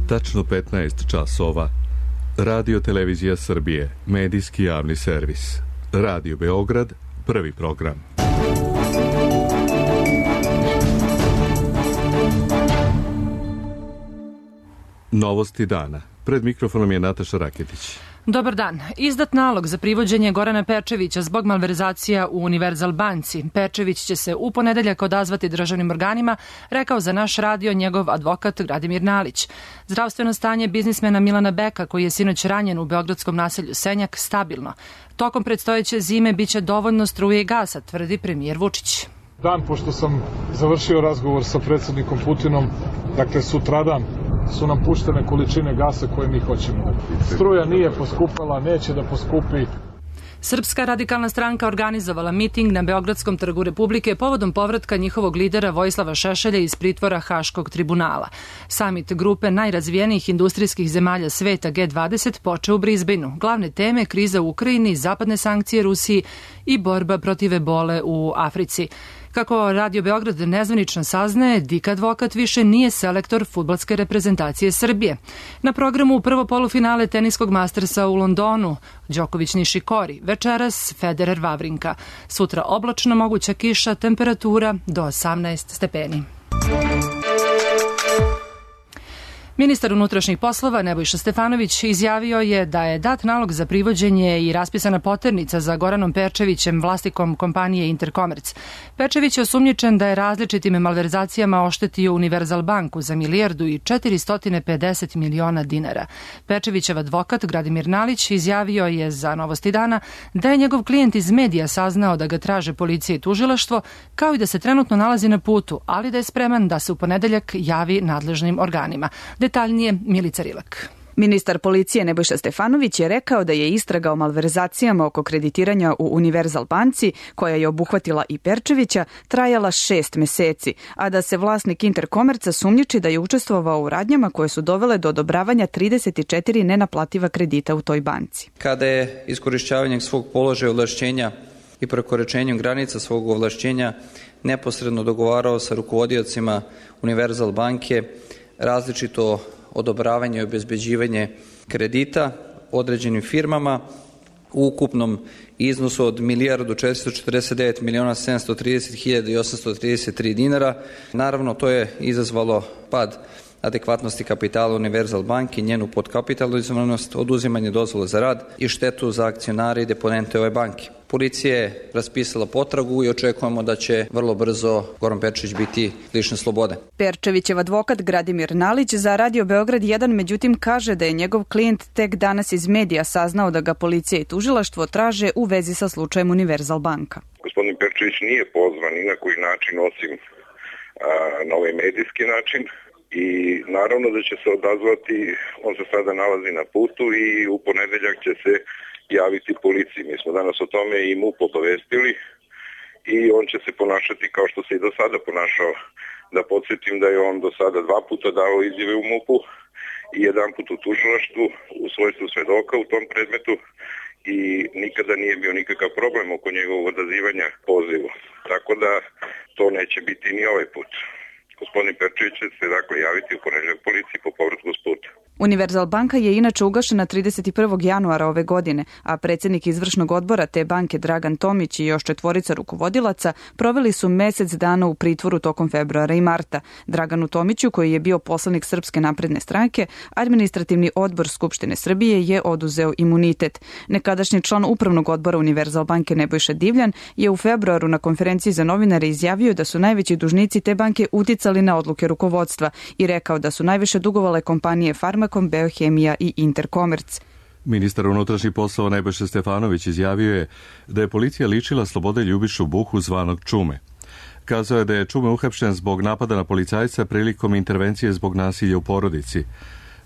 Tačno 15 časova. Radio Televizija Srbije, medijski javni servis. Radio Beograd, prvi program. Novosti dana. Pred mikrofonom je Nataša Raketić. Dobar dan. Izdat nalog za privođenje Gorana Perčevića zbog malverzacija u Univerzal banci. Perčević će se u ponedeljak odazvati državnim organima, rekao za naš radio njegov advokat Gradimir Nalić. Zdravstveno stanje biznismena Milana Beka, koji je sinoć ranjen u beogradskom naselju Senjak, stabilno. Tokom predstojeće zime biće dovoljno struje i gasa, tvrdi premijer Vučić. Dan pošto sam završio razgovor sa predsjednikom Putinom, dakle sutradan, su nam puštene količine gasa koje mi hoćemo. Struja nije poskupala, neće da poskupi. Srpska radikalna stranka organizovala miting na Beogradskom trgu Republike povodom povratka njihovog lidera Vojislava Šešelja iz pritvora Haškog tribunala. Samit grupe najrazvijenijih industrijskih zemalja sveta G20 počeo u Brisbaneu. Glavne teme kriza u Ukrajini, zapadne sankcije Rusiji i borba protiv ebole u Africi. Kako Radio Beograd nezvanično saznaje, Dik advokat više nije selektor fudbalske reprezentacije Srbije. Na programu prvo polufinale teniskog mastersa u Londonu, Đoković Nišikori, večeras Federer Vavrinka. Sutra oblačno, moguća kiša, temperatura do 18 stepeni. Ministar unutrašnjih poslova Nebojša Stefanović izjavio je da je dat nalog za privođenje i raspisana poternica za Goranom Perčevićem, vlasnikom kompanije Interkomerc. Perčević je osumnjičen da je različitim malverzacijama oštetio Univerzal banku za 1.450 miliona dinara. Perčevićev advokat Gradimir Nalić izjavio je za Novosti dana da je njegov klijent iz medija saznao da ga traže policija i tužilaštvo, kao i da se trenutno nalazi na putu, ali da je spreman da se u ponedeljak javi nadležnim organima. Detaljnije Milica Rilak. Ministar policije Nebojša Stefanović je rekao da je istraga o malverzacijama oko kreditiranja u Univerzal banci, koja je obuhvatila i Perčevića, trajala 6 meseci, a da se vlasnik Interkomerca sumnjiči da je učestvovao u radnjama koje su dovele do odobravanja 34 nenaplativa kredita u toj banci. Kada je iskorišćavanjem svog položaja ovlašćenja i prekoračenjem granica svog ovlašćenja neposredno dogovarao sa rukovodiocima Univerzal banke različito odobravanje i obezbeđivanje kredita određenim firmama u ukupnom iznosu od 1.449.730.833 dinara. Naravno, to je izazvalo pad adekvatnosti kapitala Univerzal banke, njenu podkapitalizovanost, oduzimanje dozvole za rad i štetu za akcionare i deponente ove banke. Policija je raspisala potragu i očekujemo da će vrlo brzo Goran Perčević biti lišen slobode. Perčevićev advokat Gradimir Nalić za Radio Beograd 1 međutim kaže da je njegov klijent tek danas iz medija saznao da ga policija i tužilaštvo traže u vezi sa slučajem Univerzal banka. Gospodin Perčević nije pozvan ni na koji način osim na ovaj medijski način. I naravno da će se odazvati, on se sada nalazi na putu i u ponedeljak će se javiti policiji. Mi smo danas o tome i MUP obavestili i on će se ponašati kao što se i do sada ponašao. Da podsjetim da je on do sada 2 puta dao izjave u MUP-u i 1 put u tužilaštvu u svojstvu svedoka u tom predmetu i nikada nije bio nikakav problem oko njegovog odazivanja pozivu. Tako da to neće biti ni ovaj put. Gospodin Perčević će se dakle javiti u ponedeljak policiji po povratku s puta. Univerzal banka je inače ugašena 31. januara ove godine, a predsjednik izvršnog odbora te banke Dragan Tomić i još 4 rukovodilaca proveli su mesec dana u pritvoru tokom februara i marta. Draganu Tomiću, koji je bio poslanik Srpske napredne stranke, administrativni odbor Skupštine Srbije je oduzeo imunitet. Nekadašnji član upravnog odbora Univerzal banke Nebojša Divljan je u februaru na konferenciji za novinare izjavio da su najveći dužnici te banke uticali na odluke rukovodstva i rekao da su najviše dugovale kompanije Farmakom, Beohemija i Interkomerc. Ministar unutrašnjih poslova Nebojša Stefanović izjavio je da je policija ličila Slobode Ljubišu Buhu zvanog Čume. Kazao je da je Čume uhapšen zbog napada na policajca prilikom intervencije zbog nasilja u porodici.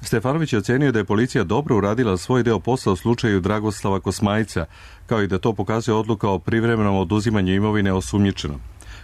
Stefanović je ocenio da je policija dobro uradila svoj deo posla u slučaju Dragoslava Kosmajca, kao i da to pokazuje odluka o privremenom oduzimanju imovine osumnjičenom.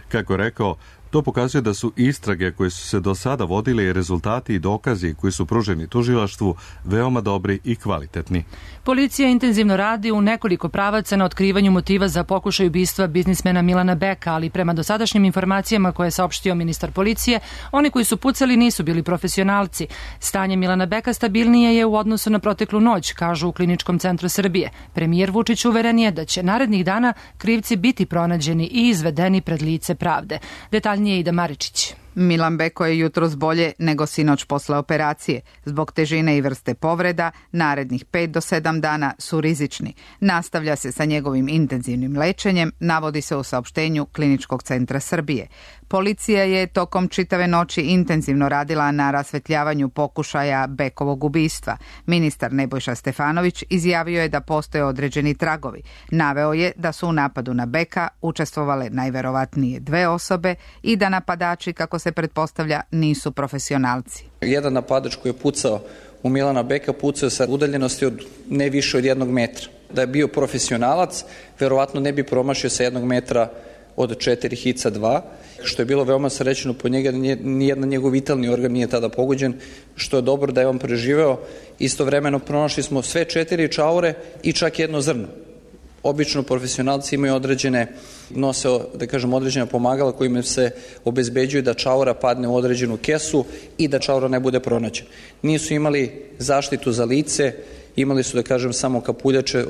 Kako je rekao, To pokazuje da su istrage koje su se do sada vodile i rezultati i dokazi koji su pruženi tužilaštvu veoma dobri i kvalitetni. Policija intenzivno radi u nekoliko pravaca na otkrivanju motiva za pokušaj ubistva biznismena Milana Beka, ali prema dosadašnjim informacijama koje je saopštio ministar policije, oni koji su pucali nisu bili profesionalci. Stanje Milana Beka stabilnije je u odnosu na proteklu noć, kažu u Kliničkom centru Srbije. Premijer Vučić uveren je da će narednih dana krivci biti pronađeni i izvedeni pred lice pravde. Detaljnije Ida Maričić. Milan Beko je jutros bolje nego sinoć posle operacije. Zbog težine i vrste povreda, narednih 5 do 7 dana su rizični. Nastavlja se sa njegovim intenzivnim lečenjem, navodi se u saopštenju Kliničkog centra Srbije. Policija je tokom čitave noći intenzivno radila na rasvetljavanju pokušaja Bekovog ubistva. Ministar Nebojša Stefanović izjavio je da postoje određeni tragovi. Naveo je da su u napadu na Beka učestvovale najverovatnije 2 osobe i da napadači, kako se pretpostavlja, nisu profesionalci. Jedan napadač koji je pucao u Milana Beka pucao sa udaljenosti od ne više od 1 metra. Da je bio profesionalac, verovatno ne bi promašio sa 1 metra od 4 hica 2, što je bilo veoma srećno po njega, nijedan njegov vitalni organ nije tada pogođen, što je dobro da je on preživeo. Istovremeno pronašli smo sve 4 čaure i čak 1 zrno. Obično profesionalci imaju nose određena pomagala kojima se obezbeđuje da čaura padne u određenu kesu i da čaura ne bude pronađen. Nisu imali zaštitu za lice, imali su samo kapuljače,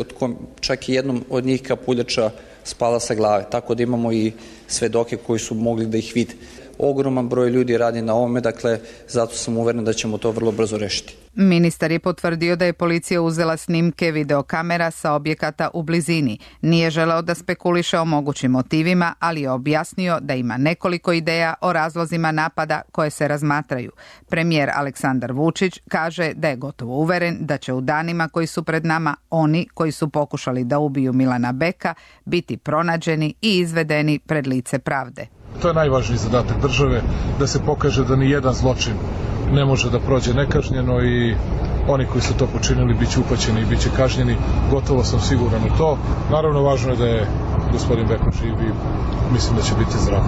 čak i jednom od njih kapuljača spala sa glave, tako da imamo i svedoke koji su mogli da ih vide. Ogroman broj ljudi radi na ovome, dakle, zato sam uveren da ćemo to vrlo brzo rešiti. Ministar je potvrdio da je policija uzela snimke videokamera sa objekata u blizini. Nije želeo da spekuliše o mogućim motivima, ali je objasnio da ima nekoliko ideja o razlozima napada koje se razmatraju. Premijer Aleksandar Vučić kaže da je gotovo uveren da će u danima koji su pred nama oni koji su pokušali da ubiju Milana Beka biti pronađeni i izvedeni pred lice pravde. To je najvažniji zadatak države, da se pokaže da ni jedan zločin ne može da prođe nekažnjeno i oni koji su to počinili bit će uhvaćeni i bit će kažnjeni. Gotovo sam siguran u to. Naravno, važno je da je gospodin Beko živ i mislim da će biti zdrav.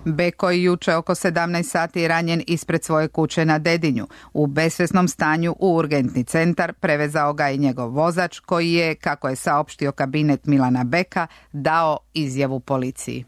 Beko je juče oko 17 sati ranjen ispred svoje kuće na Dedinju. U besvesnom stanju u urgentni centar prevezao ga i njegov vozač koji je, kako je saopštio kabinet Milana Beka, dao izjavu policiji.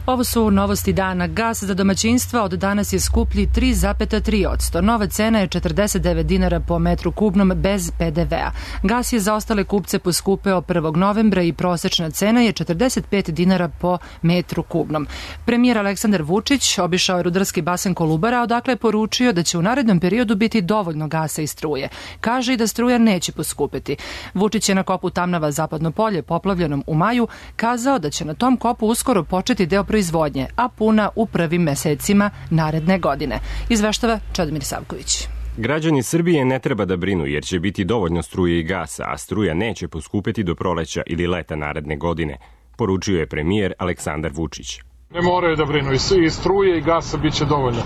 Ovo su novosti dana. Gas za domaćinstva od danas je skuplji 3,3%. Nova cena je 49 dinara po metru kubnom bez PDV-a. Gas je za ostale kupce poskupeo 1. novembra i prosečna cena je 45 dinara po metru kubnom. Premijer Aleksandar Vučić obišao je rudarski basen Kolubara, odakle je poručio da će u narednom periodu biti dovoljno gasa i struje. Kaže i da struja neće poskupeti. Vučić je na kopu Tamnava Zapadno polje, poplavljenom u maju, kazao da će na tom kopu uskoro početi deo proizvodnje, a puna u prvim mesecima naredne godine. Izveštava Čedomir Savković. Građani Srbije ne treba da brinu jer će biti dovoljno struje i gasa, a struja neće poskupeti do proleća ili leta naredne godine, poručio je premijer Aleksandar Vučić. Ne moraju da brinu, i struje i gasa bit će dovoljno.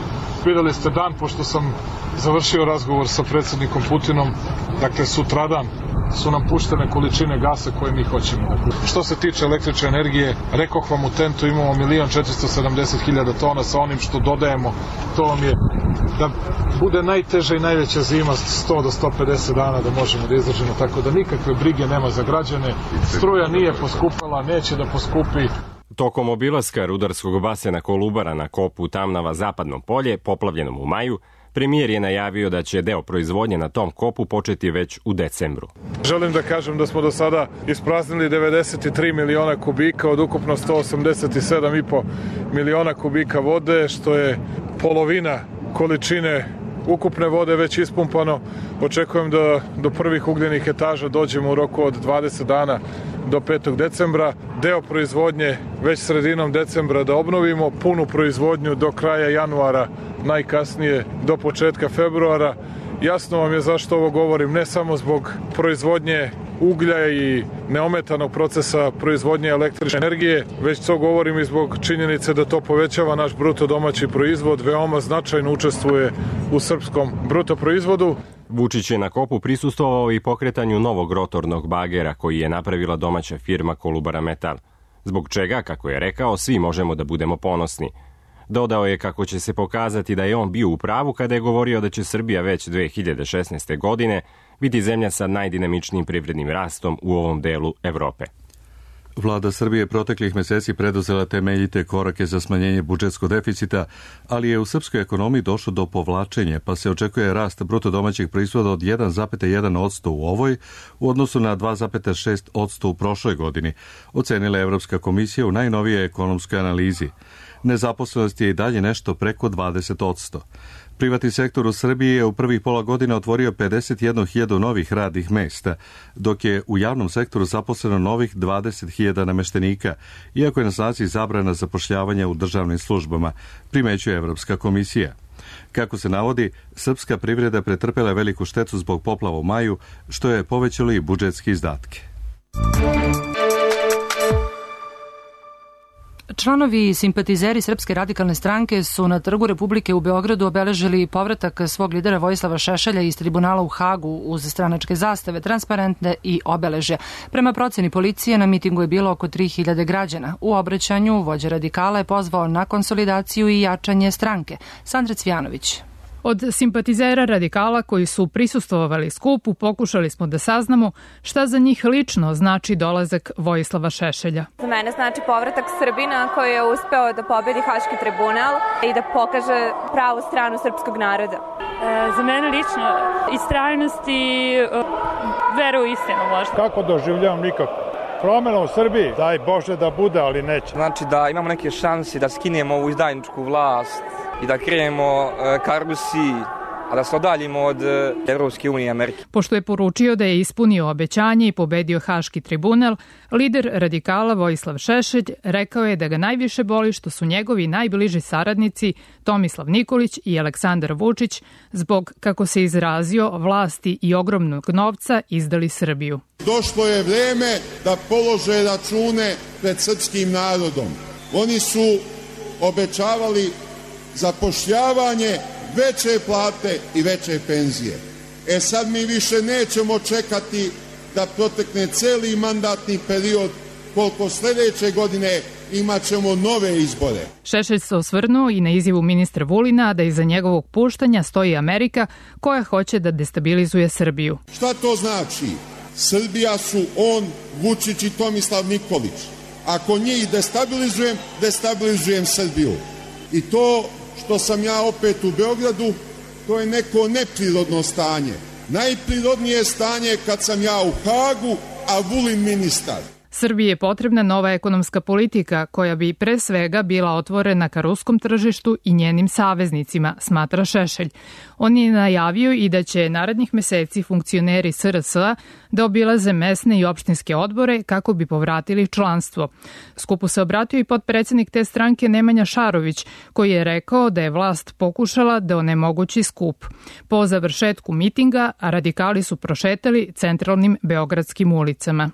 Videli ste dan, pošto sam završio razgovor sa predsjednikom Putinom, dakle sutradan su nam puštene količine gasa koje mi hoćemo. Što se tiče električne energije, rekoh vam, u TENT-u imamo 1.470.000 tona, sa onim što dodajemo, to vam je da bude najteža i najveća zima 100 do 150 dana da možemo da izdržimo, tako da nikakve brige nema za građane. Struja nije poskupala, neće da poskupi. Tokom obilaska rudarskog basena Kolubara na kopu Tamnava Zapadno polje, poplavljenom u maju, premijer je najavio da će deo proizvodnje na tom kopu početi već u decembru. Želim da kažem da smo do sada ispraznili 93 miliona kubika od ukupno 187,5 miliona kubika vode, što je polovina količine ukupne vode već ispumpano. Očekujem da do prvih ugljenih etaža dođemo u roku od 20 dana do 5. decembra. Deo proizvodnje već sredinom decembra da obnovimo, punu proizvodnju do kraja januara, najkasnije do početka februara. Jasno vam je zašto ovo govorim, ne samo zbog proizvodnje uglja i neometanog procesa proizvodnje električne energije, već to govorim i zbog činjenice da to povećava naš bruto domaći proizvod, veoma značajno učestvuje u srpskom bruto proizvodu. Vučić je na kopu prisustvovao i pokretanju novog rotornog bagera koji je napravila domaća firma Kolubara Metal. zbog čega, kako je rekao, svi možemo da budemo ponosni. Dodao je kako će se pokazati da je on bio u pravu kada je govorio da će Srbija već 2016. godine biti zemlja sa najdinamičnijim privrednim rastom u ovom delu Evrope. Vlada Srbije proteklih meseci preduzela temeljite korake za smanjenje budžetskog deficita, ali je u srpskoj ekonomiji došlo do povlačenja, pa se očekuje rast bruto domaćeg proizvoda od 1,1% u ovoj u odnosu na 2,6% u prošloj godini, ocenila Evropska komisija u najnovijoj ekonomskoj analizi. Nezaposlenost je i dalje nešto preko 20%. Privatni sektor u Srbiji je u prvih pola godina otvorio 51.000 novih radnih mesta, dok je u javnom sektoru zaposleno novih 20.000 nameštenika, iako je na snazi zabrana zapošljavanja u državnim službama, primećuje Evropska komisija. Kako se navodi, srpska privreda pretrpela je veliku štetu zbog poplava u maju, što je povećalo i budžetske izdatke. Članovi i simpatizeri Srpske radikalne stranke su na Trgu Republike u Beogradu obeležili povratak svog lidera Vojislava Šešelja iz tribunala u Hagu uz stranačke zastave, transparentne i obeležja. Prema proceni policije, na mitingu je bilo oko 3.000 građana. U obraćanju vođa radikala je pozvao na konsolidaciju i jačanje stranke. Sandra Cvjanović. Od simpatizera radikala koji su prisustvovali skupu pokušali smo da saznamo šta za njih lično znači dolazak Vojislava Šešelja. Za mene znači povratak Srbina koji je uspeo da pobedi Haški tribunal i da pokaže pravu stranu srpskog naroda. Za mene lično istrajnost i vera u istinu možda. Kako doživljavam nikako? Promjena u Srbiji, daj Bože da bude, ali neće. Znači da imamo neke šanse da skinemo ovu izdajničku vlast i da krenemo ka Rusiji, a da se odaljimo od Evropske unije i Amerike. Pošto je poručio da je ispunio obećanje i pobedio Haški tribunal, lider radikala Vojislav Šešelj rekao je da ga najviše boli što su njegovi najbliži saradnici Tomislav Nikolić i Aleksandar Vučić zbog, kako se izrazio, vlasti i ogromnog novca izdali Srbiju. Došlo je vreme da polože račune pred srpskim narodom. Oni su obećavali zapošljavanje, veće plate i veće penzije. Sad mi više nećemo čekati da protekne celi mandatni period, koliko sljedeće godine imat ćemo nove izbore. Šešelj se osvrnuo i na izjavu ministra Vulina da iza njegovog puštanja stoji Amerika koja hoće da destabilizuje Srbiju. Šta to znači? Srbija su on, Vučić i Tomislav Nikolić. Ako njih destabilizujem, destabilizujem Srbiju. I to što sam ja opet u Beogradu, to je neko neprirodno stanje. Najprirodnije stanje kad sam ja u Hagu, a Vulin ministar. Srbiji je potrebna nova ekonomska politika koja bi pre svega bila otvorena ka ruskom tržištu i njenim saveznicima, smatra Šešelj. On je najavio i da će narednih meseci funkcioneri SRS-a da obilaze mesne i opštinske odbore kako bi povratili članstvo. Skupu se obratio i potpredsednik te stranke Nemanja Šarović, koji je rekao da je vlast pokušala da onemogući skup. Po završetku mitinga, radikali su prošetali centralnim beogradskim ulicama.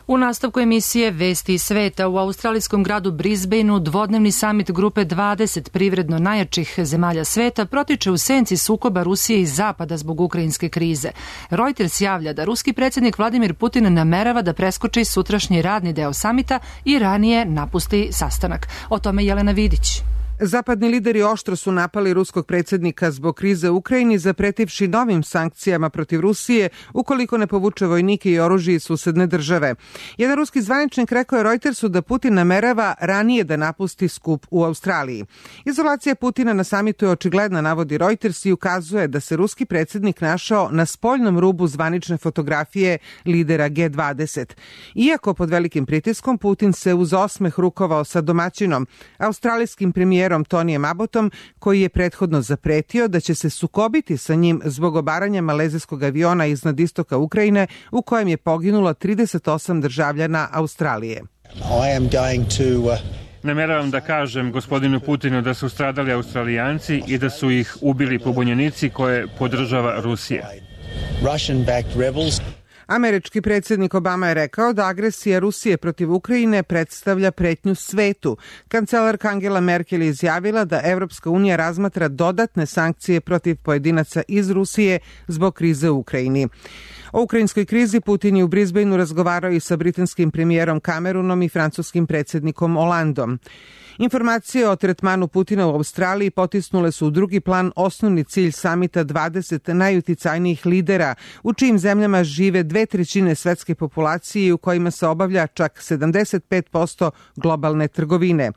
U nastavku emisije Vesti iz sveta u australijskom gradu Brisbaneu dvodnevni samit grupe 20 privredno najjačih zemalja sveta protiče u senci sukoba Rusije i Zapada zbog ukrajinske krize. Reuters javlja da ruski predsjednik Vladimir Putin namerava da preskoči sutrašnji radni deo samita i ranije napusti sastanak. O tome Jelena Vidić. Zapadni lideri oštro su napali ruskog predsjednika zbog krize u Ukrajini, zapretivši novim sankcijama protiv Rusije ukoliko ne povuče vojnike i oružje iz susedne države. Jedan ruski zvaničnik rekao je Reutersu da Putin namerava ranije da napusti skup u Australiji. Izolacija Putina na samitu je očigledna, navodi Reuters, i ukazuje da se ruski predsjednik našao na spoljnom rubu zvanične fotografije lidera G20. Iako pod velikim pritiskom, Putin se uz osmeh rukovao sa domaćinom, australijskim premijerom Tonijem Abbotom, koji je prethodno zapretio da će se sukobiti sa njim zbog obaranja malezijskog aviona iznad istoka Ukrajine u kojem je poginulo 38 državljana Australije. Nameravam da kažem gospodinu Putinu da su stradali Australijanci i da su ih ubili pobunjenici koje podržava Rusija. Američki predsjednik Obama je rekao da agresija Rusije protiv Ukrajine predstavlja pretnju svetu. Kancelarka Angela Merkel je izjavila da Evropska unija razmatra dodatne sankcije protiv pojedinaca iz Rusije zbog krize u Ukrajini. O ukrajinskoj krizi Putin je u Brisbaneu razgovarao i sa britanskim premijerom Cameronom i francuskim predsjednikom Hollandom. Informacije o tretmanu Putina u Australiji potisnule su u drugi plan osnovni cilj samita 20 najuticajnijih lidera, u čijim zemljama žive 2/3 svetske populacije i u kojima se obavlja čak 75% globalne trgovine.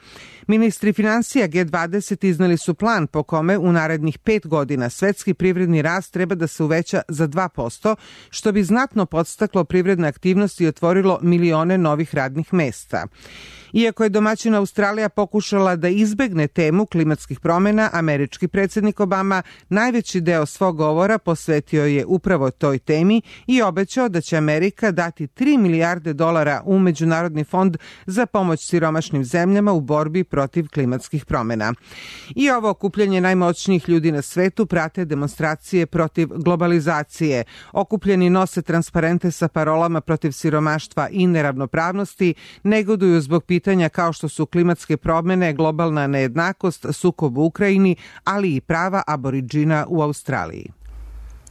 Ministri financija G20 izneli su plan po kome u narednih 5 godina svetski privredni rast treba da se uveća za 2%, što bi znatno podstaklo privredne aktivnosti i otvorilo milione novih radnih mesta. Iako je domaćina Australija pokušala da izbegne temu klimatskih promjena, američki predsjednik Obama najveći deo svog govora posvetio je upravo toj temi i obećao da će Amerika dati $3 milijarde u Međunarodni fond za pomoć siromašnim zemljama u borbi protiv klimatskih promjena. I ovo okupljanje najmoćnijih ljudi na svetu prate demonstracije protiv globalizacije. Okupljeni nose transparente sa parolama protiv siromaštva i neravnopravnosti, negoduju zbog pitanja kao što su klimatske promjene, globalna nejednakost, sukob u Ukrajini, ali i prava aboriđina u Australiji.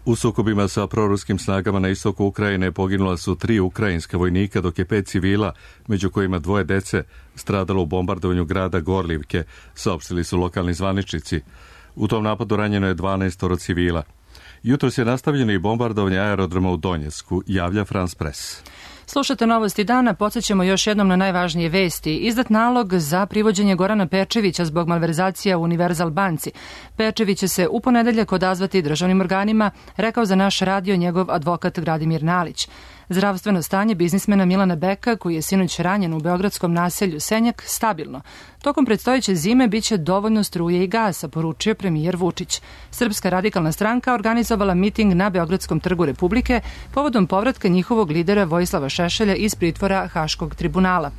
U sukobima sa proruskim snagama na istoku Ukrajine poginula su 3 ukrajinska vojnika, dok je 5 civila, među kojima 2 dece, stradalo u bombardovanju grada Gorlivke, saopštili su lokalni zvaničnici. U tom napadu ranjeno je 12 civila. Jutros je nastavljeno i bombardovanje aerodroma u Donjecku, javlja France Press. Slušate Novosti dana, podsjećamo još jednom na najvažnije vesti. Izdat nalog za privođenje Gorana Pečevića zbog malverzacija u Univerzal banci. Pečević će se u ponedeljak odazvati državnim organima, rekao za naš radio njegov advokat Gradimir Nalić. Zdravstveno stanje biznismena Milana Beka, koji je sinoć ranjen u beogradskom naselju Senjak, stabilno. Tokom predstojeće zime biće dovoljno struje i gasa, poručio premijer Vučić. Srpska radikalna stranka organizovala miting na Beogradskom trgu Republike povodom povratka njihovog lidera Vojislava Šešelja iz pritvora Haškog tribunala.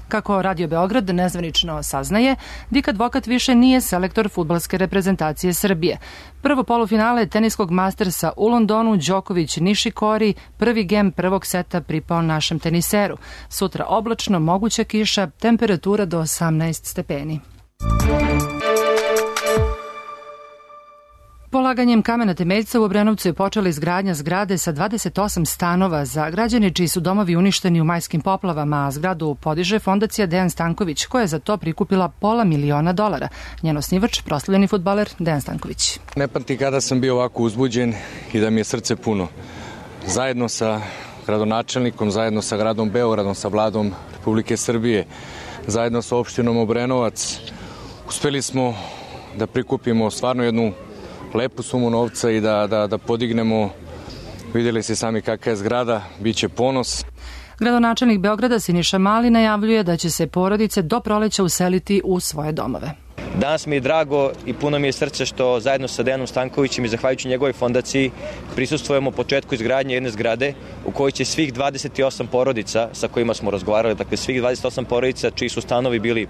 Kako Radio Beograd nezvanično saznaje, Dik Advokat više nije selektor fudbalske reprezentacije Srbije. Prvo polufinale teniskog Mastersa u Londonu, Đoković Nišikori, prvi gem prvog seta pripao našem teniseru. Sutra oblačno, moguća kiša, temperatura do 18 stepeni. Polaganjem kamena temeljca u Obrenovcu je počela izgradnja zgrade sa 28 stanova za građane čiji su domovi uništeni u majskim poplavama, a zgradu podiže fondacija Dejan Stanković, koja je za to prikupila $500.000. Njen osnivač, proslavljeni fudbaler Dejan Stanković. Ne pamti kada sam bio ovako uzbuđen i da mi je srce puno. Zajedno sa gradonačelnikom, zajedno sa gradom Beogradom, sa Vladom Republike Srbije, zajedno sa opštinom Obrenovac, uspeli smo da prikupimo stvarno jednu lepu sumu novca i da podignemo, vidjeli ste sami kakva je zgrada, bit će ponos. Gradonačelnik Beograda Siniša Mali najavljuje da će se porodice do proleća useliti u svoje domove. Danas mi je drago i puno mi je srce što zajedno sa Dejanom Stankovićem i zahvaljujući njegovoj fondaciji prisustvujemo početku izgradnje jedne zgrade u kojoj će svih 28 porodica sa kojima smo razgovarali, dakle svih 28 porodica čiji su stanovi bili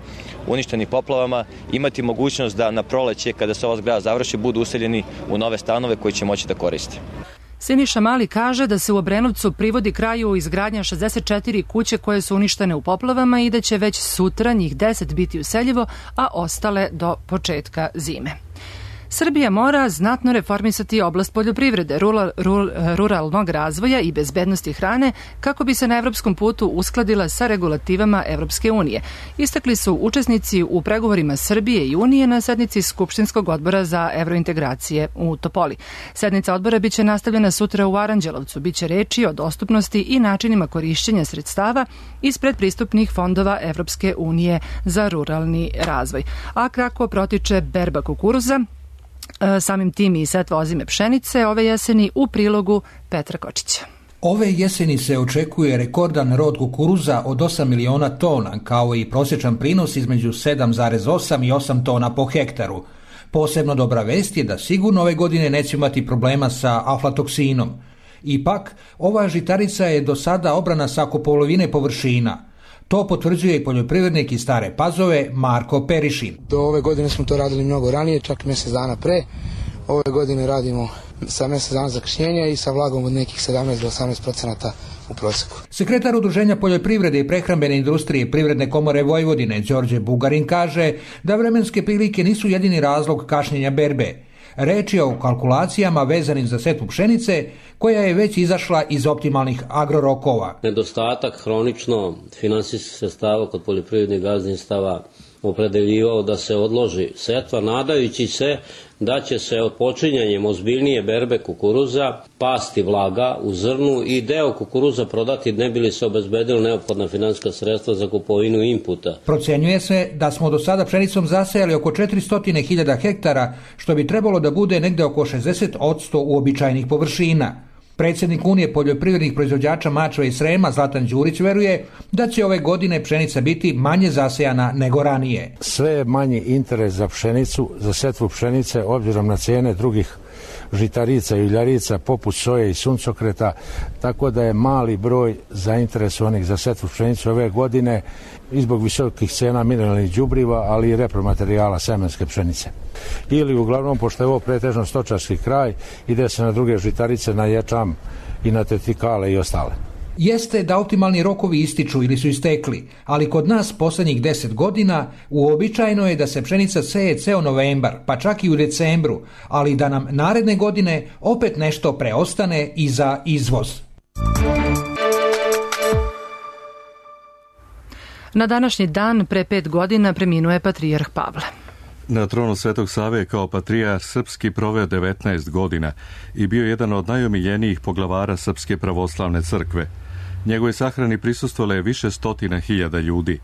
uništeni poplavama, imati mogućnost da na proleće, kada se ova zgrada završi, budu useljeni u nove stanove koji će moći da koriste. Siniša Mali kaže da se u Obrenovcu privodi kraju izgradnja 64 kuće koje su uništene u poplavama i da će već sutra njih 10 biti useljivo, a ostale do početka zime. Srbija mora znatno reformisati oblast poljoprivrede, ruralnog razvoja i bezbednosti hrane kako bi se na evropskom putu uskladila sa regulativama Evropske unije. Istakli su učesnici u pregovorima Srbije i Unije na sednici Skupštinskog odbora za evrointegracije u Topoli. Sednica odbora biće nastavljena sutra u Aranđelovcu. Biće reči o dostupnosti i načinima korišćenja sredstava iz predpristupnih fondova Evropske unije za ruralni razvoj. A kako protiče berba kukuruza, samim tim i setva ozime pšenice ove jeseni, u prilogu Petra Kočića. Ove jeseni se očekuje rekordan rod kukuruza od 8 miliona tona, kao i prosječan prinos između 7,8 i 8 tona po hektaru. Posebno dobra vest je da sigurno ove godine neće imati problema sa aflatoksinom. Ipak, ova žitarica je do sada obrana sa oko polovine površina. To potvrđuje i poljoprivrednik iz Stare Pazove Marko Perišin. Do ove godine smo to radili mnogo ranije, čak mjesec dana pre. Ove godine radimo sa mjesec dana zakašnjenja i sa vlagom od nekih 17 do 18% u prosjeku. Sekretar Udruženja poljoprivrede i prehrambene industrije Privredne komore Vojvodine Đorđe Bugarin kaže da vremenske prilike nisu jedini razlog kašnjenja berbe. Reč je o kalkulacijama vezanim za setvu pšenice koja je već izašla iz optimalnih agrorokova. Nedostatak hronično finansijskih sredstava kod poljoprivrednih gazdinstava opredeljivao da se odloži setva, nadajući se da će se počinjanjem ozbiljnije berbe kukuruza pasti vlaga u zrnu i deo kukuruza prodati ne bi li se obezbedilo neophodna finansijska sredstva za kupovinu inputa. Procenjuje se da smo do sada pšenicom zasejali oko 400.000 hektara, što bi trebalo da bude negde oko 60% uobičajenih površina. Predsjednik Unije poljoprivrednih proizvođača Mačve i Srema Zlatan Đurić veruje da će ove godine pšenica biti manje zasejana nego ranije. Sve je manji interes za pšenicu, za setvu pšenice, obzirom na cijene drugih žitarica i uljarica poput soje i suncokreta, tako da je mali broj zainteresovanih za setvu pšenice ove godine i zbog visokih cena mineralnih đubriva, ali i repromaterijala semenske pšenice. Ili uglavnom, pošto je ovo pretežno stočarski kraj, ide se na druge žitarice, na ječam i na tetikale i ostale. Jeste da optimalni rokovi ističu ili su istekli, ali kod nas posljednjih 10 godina uobičajeno je da se pšenica seje ceo novembar, pa čak i u decembru, ali da nam naredne godine opet nešto preostane i za izvoz. Na današnji dan pre 5 godina preminuo je patrijarh Pavle. Na tronu Svetog Save kao patrijarh srpski proveo 19 godina i bio jedan od najomiljenijih poglavara Srpske pravoslavne crkve. Njegovoj sahrani prisustvovalo je više stotina hiljada ljudi.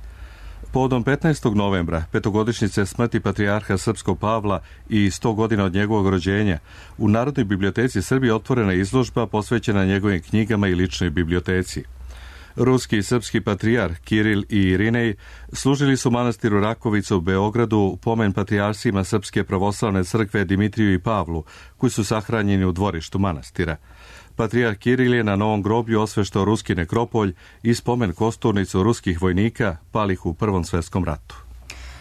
Povodom 15. novembra, petogodišnjice smrti patrijarha srpskog Pavla i 100 godina od njegovog rođenja, u Narodnoj biblioteci Srbije otvorena izložba posvećena njegovim knjigama i ličnoj biblioteci. Ruski i srpski patrijarh Kiril i Irinej služili su manastiru Rakovica u Beogradu pomen patrijarsima Srpske pravoslavne crkve Dimitriju i Pavlu, koji su sahranjeni u dvorištu manastira. Patrijarh Kiril je na novom groblju osveštao ruski nekropolj i spomen kosturnicu ruskih vojnika palih u Prvom svjetskom ratu.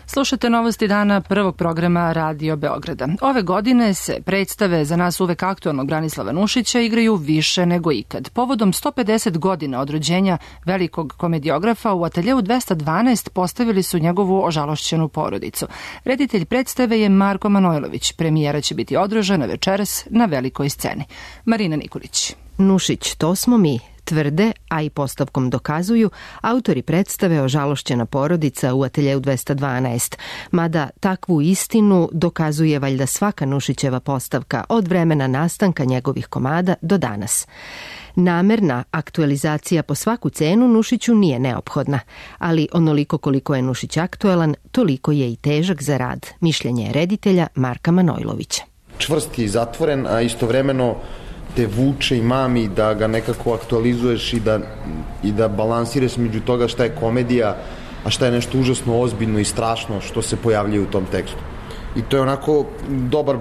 Slušajte novosti dana prvog programa Radio Beograda. Ove godine se predstave za nas uvek aktualnog Branislava Nušića igraju više nego ikad. Povodom 150 godina od rođenja velikog komediografa u ateljeu 212 postavili su njegovu ožalošćenu porodicu. Reditelj predstave je Marko Manojlović. Premijera će biti održana večeras na velikoj sceni. Marina Nikolić. Nušić, to smo mi, tvrde, a i postavkom dokazuju, autori predstave Ožalošćena porodica u ateljeu 212, mada takvu istinu dokazuje valjda svaka Nušićeva postavka od vremena nastanka njegovih komada do danas. Namerna aktualizacija po svaku cenu Nušiću nije neophodna, ali onoliko koliko je Nušić aktuelan, toliko je i težak za rad, mišljenje je reditelja Marka Manojlovića. Čvrst je i zatvoren, a istovremeno te vuče i mami da ga nekako aktualizuješ i da balansiraš među toga šta je komedija, a šta je nešto užasno ozbiljno i strašno što se pojavljuje u tom tekstu. I to je onako dobar,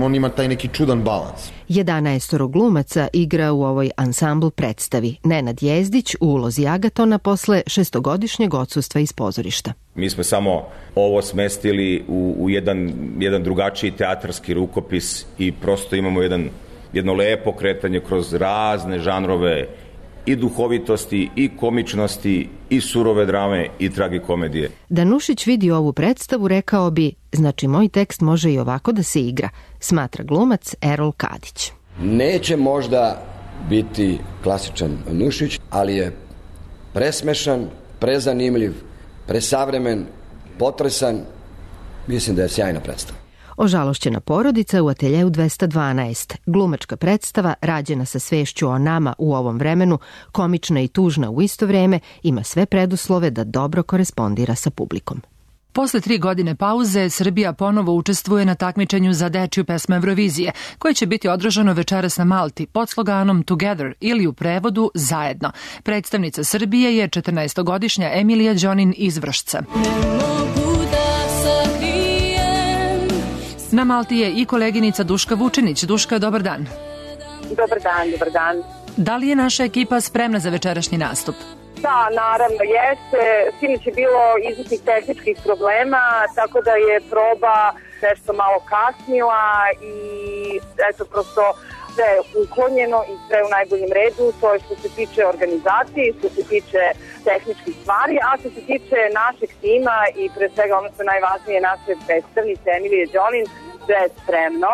on ima taj neki čudan balans. 11 glumaca igra u ovoj ansambl predstavi. Nenad Jezdić u ulozi Agatona posle 6-godišnjeg odsustva iz pozorišta. Mi smo samo ovo smestili u jedan drugačiji teatarski rukopis i prosto imamo jedno lepo kretanje kroz razne žanrove i duhovitosti, i komičnosti, i surove drame, i tragikomedije. Da Nušić vidi ovu predstavu, rekao bi, znači moj tekst može i ovako da se igra, smatra glumac Erol Kadić. Neće možda biti klasičan Nušić, ali je presmešan, prezanimljiv, presavremen, potresan. Mislim da je sjajna predstava. Ožalošćena porodica u ateljeu 212. Glumačka predstava, rađena sa svešću o nama u ovom vremenu, komična i tužna u isto vreme, ima sve preduslove da dobro korespondira sa publikom. Posle 3 godine pauze, Srbija ponovo učestvuje na takmičenju za dečju pesmu Eurovizije, koje će biti održano večeras na Malti pod sloganom Together ili u prevodu Zajedno. Predstavnica Srbije je 14-godišnja Emilija Đonin iz Vršca. Na Malti je i koleginica Duška Vučinić. Duška, dobar dan. Dobar dan, dobar dan. Da li je naša ekipa spremna za večerašnji nastup? Da, naravno jeste. Sinoć je bilo izvesnih tehničkih problema, tako da je proba nešto malo kasnila i eto prosto sve je uklonjeno i sve u najboljem redu. To je što se tiče organizacije, što se tiče tehničkih stvari, a što se tiče našeg tima i pre svega ono što je najvažnije naše predstavnice Emilije Đonin, sve je spremno.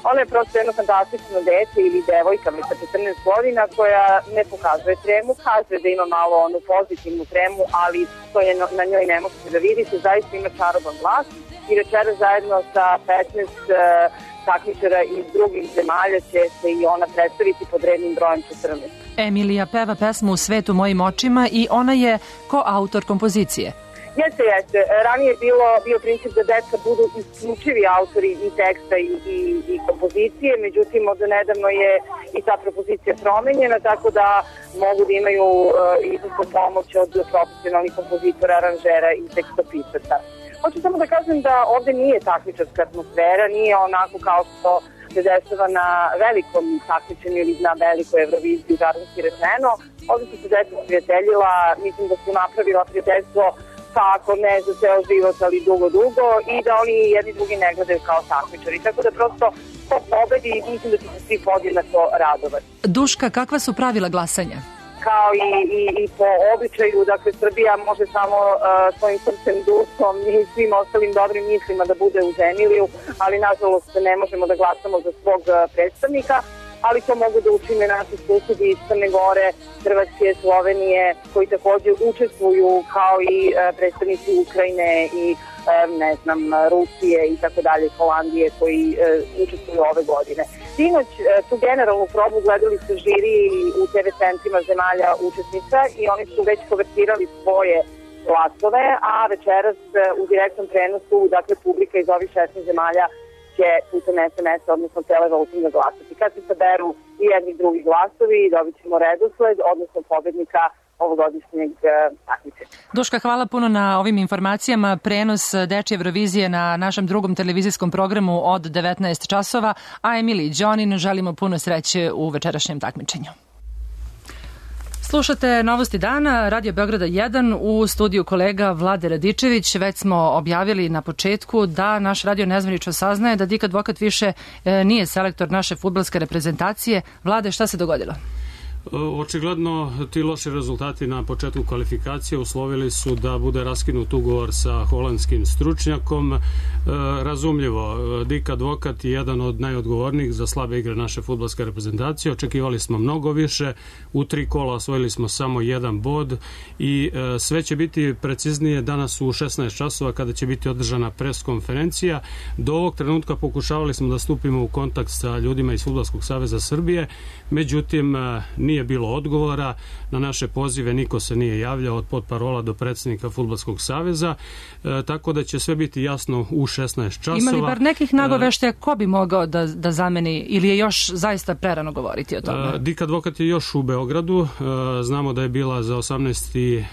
Ona je prosto jedno fantastično dete ili devojka sa 14 godina koja ne pokazuje tremu, kaže da ima malo onu pozitivnu tremu, ali to je na njoj ne možete da vidite, zaista ima čaroban glas i večera zajedno sa 15 takmičara iz drugih zemalja će se i ona predstaviti pod rednim brojem 14. Emilija peva pesmu U svetu mojim očima i ona je koautor kompozicije. Jeste. Ranije je bio princip da deca budu isključivi autori i teksta i kompozicije, međutim od nedavno je i ta propozicija promenjena, tako da mogu da imaju izvrsnu pomoć od profesionalnih kompozitora, aranžera i tekstopisaca. Hoću samo da kažem da ovde nije takmičarska atmosfera, nije onako kao što se dešava na velikom takmičenju ili na velikoj Euroviziji, žargonski rečeno. Ovde su se deca prijateljila, mislim da su napravila prijateljstvo pa ako ne za ceo život, ali dugo i da oni jedni drugi ne gledaju kao takmičari. Tako da prosto po pobedi mislim da će se svi podjednako radovati. Duška, kakva su pravila glasanja? Kao i po običaju, dakle Srbija može samo svojim srcem, dušom i svim ostalim dobrim mislima da bude u Zemiliju, ali nažalost ne možemo da glasamo za svog predstavnika, ali to mogu da učine naši susedi iz Crne Gore, Hrvatske, Slovenije, koji također učestvuju kao i predstavnici Ukrajine i Rusije i tako dalje, Holandije koji učestvuju ove godine. Sinoć tu generalnu probu gledali su žiri u TV centrima zemalja učesnica i oni su već konvertirali svoje glasove, a večeras u direktnom prenosu, dakle publika iz ovih 16 zemalja će putem SMS, odnosno televoting glasati. Kad se saberu i jedni drugi glasovi, dobit ćemo redosled, odnosno pobednika ovogodišnjeg takmičenja. Duška, hvala puno na ovim informacijama. Prenos Dečje Eurovizije na našem drugom televizijskom programu od 19 časova, a Emiliji Đonin želimo puno sreće u večerašnjem takmičenju. Slušate Novosti dana, Radio Beograda 1, u studiju kolega Vlade Radičević. Već smo objavili na početku da naš radio nezvanično saznaje da Dika Advokat više nije selektor naše fudbalske reprezentacije. Vlade, šta se dogodilo? Očigledno ti loši rezultati na početku kvalifikacije uslovili su da bude raskinut ugovor sa holandskim stručnjakom. Razumljivo, Dik Advokat je jedan od najodgovornijih za slabe igre naše fudbalske reprezentacije. Očekivali smo mnogo više, u 3 kola osvojili smo samo 1 bod i sve će biti preciznije danas u 16 časova kada će biti održana pres konferencija. Do ovog trenutka pokušavali smo da stupimo u kontakt sa ljudima iz Fudbalskog saveza Srbije, međutim nije bilo odgovora, na naše pozive niko se nije javljao od potparola do predsjednika Fudbalskog saveza, tako da će sve biti jasno u 16 časova. Ima li bar nekih nagoveštaja ko bi mogao da zameni ili je još zaista prerano govoriti o tome? Dik Advokat je još u Beogradu, znamo da je bila za 18.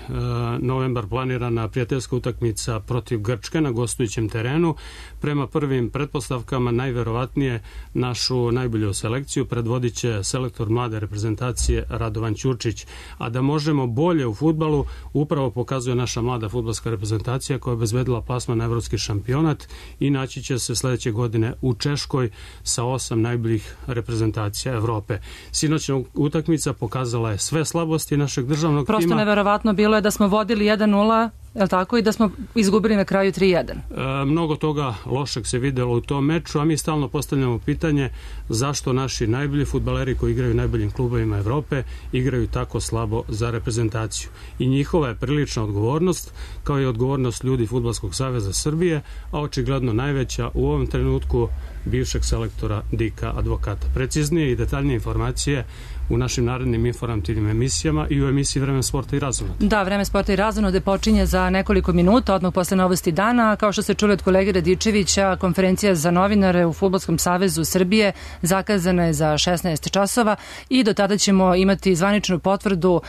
novembar planirana prijateljska utakmica protiv Grčke na gostujućem terenu. Prema prvim pretpostavkama najverovatnije našu najbolju selekciju predvodit će selektor mlade reprezentacije Radovan Ćurčić, a da možemo bolje u fudbalu upravo pokazuje naša mlada fudbalska reprezentacija koja je obezbedila plasman na evropski šampionat i naći će se sledeće godine u Češkoj sa 8 najboljih reprezentacija Evrope. Sinoćna utakmica pokazala je sve slabosti našeg državnog tima. Prosto neverovatno bilo je da smo vodili 1-0, je li tako, i da smo izgubili na kraju 3-1. Mnogo toga lošeg se videlo u tom meču, a mi stalno postavljamo pitanje zašto naši najbolji fudbaleri koji igraju u najboljim klubovima Evrope igraju tako slabo za reprezentaciju. I njihova je prilična odgovornost, kao i odgovornost ljudi Fudbalskog saveza Srbije, a očigledno najveća u ovom trenutku bivšeg selektora Dika Advokata. Preciznije i detaljnije informacije u našim narednim informativnim emisijama i u emisiji Vreme sporta i razonode. Da, Vreme sporta i razonode počinje za nekoliko minuta, odmah posle Novosti dana. Kao što se čuli od kolege Radičevića, konferencija za novinare u Fudbalskom savezu Srbije zakazana je za 16 časova i do tada ćemo imati zvaničnu potvrdu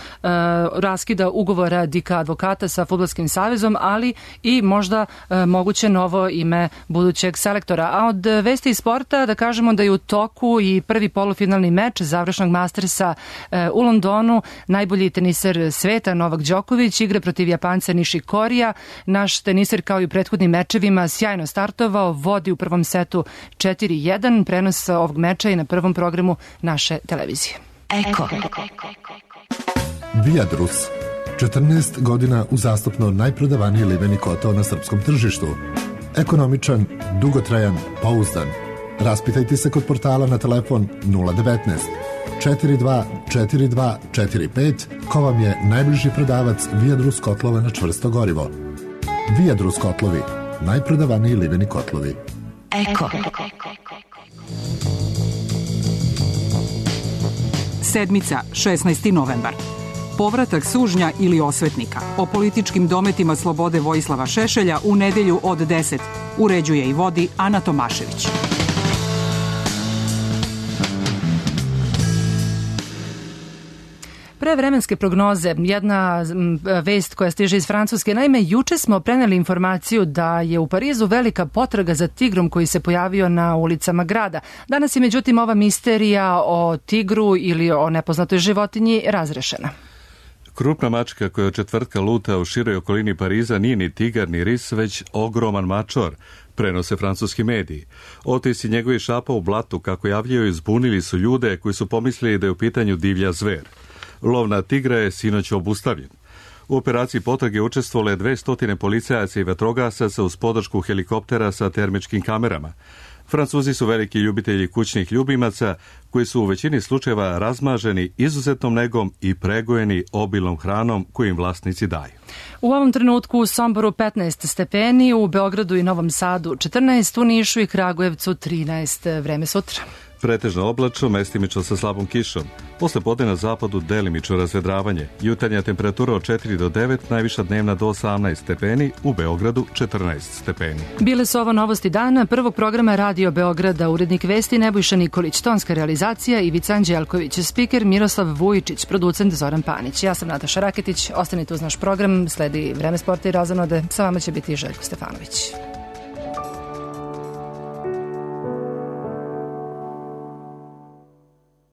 raskida ugovora Dika Advokata sa Fudbalskim savezom, ali i možda moguće novo ime budućeg selektora. A od vesti novosti iz sporta da kažemo da je u toku i prvi polufinalni meč završnog Mastersa u Londonu. Najbolji teniser sveta Novak Đoković igra protiv Japanca Nishikorija. Naš teniser kao i u prethodnim mečevima sjajno startovao, vodi u prvom setu 4-1. Prenos ovog meča i na prvom programu naše televizije. Eko. Viadrus. 14 godina uzastopno najprodavaniji liveni kotao na srpskom tržištu. Ekonomičan, dugotrajan, pouzdan. Raspitajte se kod portala na telefon 019 42 42 45 ko vam je najbliži prodavac Viadrus kotlova na čvrsto gorivo. Viadrus kotlovi, najprodavaniji liveni kotlovi. Eko. Sedmica, 16. novembar. Povratak sužnja ili osvetnika. O političkim dometima slobode Vojislava Šešelja u nedelju od 10. Uređuje i vodi Ana Tomašević. Pre vremenske prognoze, jedna vest koja stiže iz Francuske. Naime, juče smo preneli informaciju da je u Parizu velika potraga za tigrom koji se pojavio na ulicama grada. Danas je međutim ova misterija o tigru ili o nepoznatoj životinji razrešena. Krupna mačka koja od četvrtka luta u široj okolini Pariza nije ni tigar ni ris, već ogroman mačor, prenose francuski mediji. Otis i njegovi šapa u blatu, kako javljaju, zbunili su ljude koji su pomislili da je u pitanju divlja zver. Lov na tigra je sinoć obustavljen. U operaciji potrage učestvovale 200 policajaca i vatrogasaca uz podršku helikoptera sa termičkim kamerama. Francuzi su veliki ljubitelji kućnih ljubimaca koji su u većini slučajeva razmaženi izuzetnom negom i pregojeni obilnom hranom koju im vlasnici daju. U ovom trenutku u Somboru 15 stepeni, u Beogradu i Novom Sadu 14, u Nišu i Kragujevcu 13. Vreme sutra. Pretežno oblačno, mestimično sa slabom kišom. Posle podne na zapadu delimično razvedravanje. Jutarnja temperatura od 4 do 9, najviša dnevna do 18 stepeni, u Beogradu 14 stepeni. Bile su ovo novosti dana prvog programa Radio Beograda, urednik vesti Nebojša Nikolić, tonska realizacija Ivica Anđelković, spiker Miroslav Vujičić, producent Zoran Panić. Ja sam Nataša Raketić, ostanite uz naš program, sledi Vreme sporta i razonode, sa vama će biti Željko Stefanović.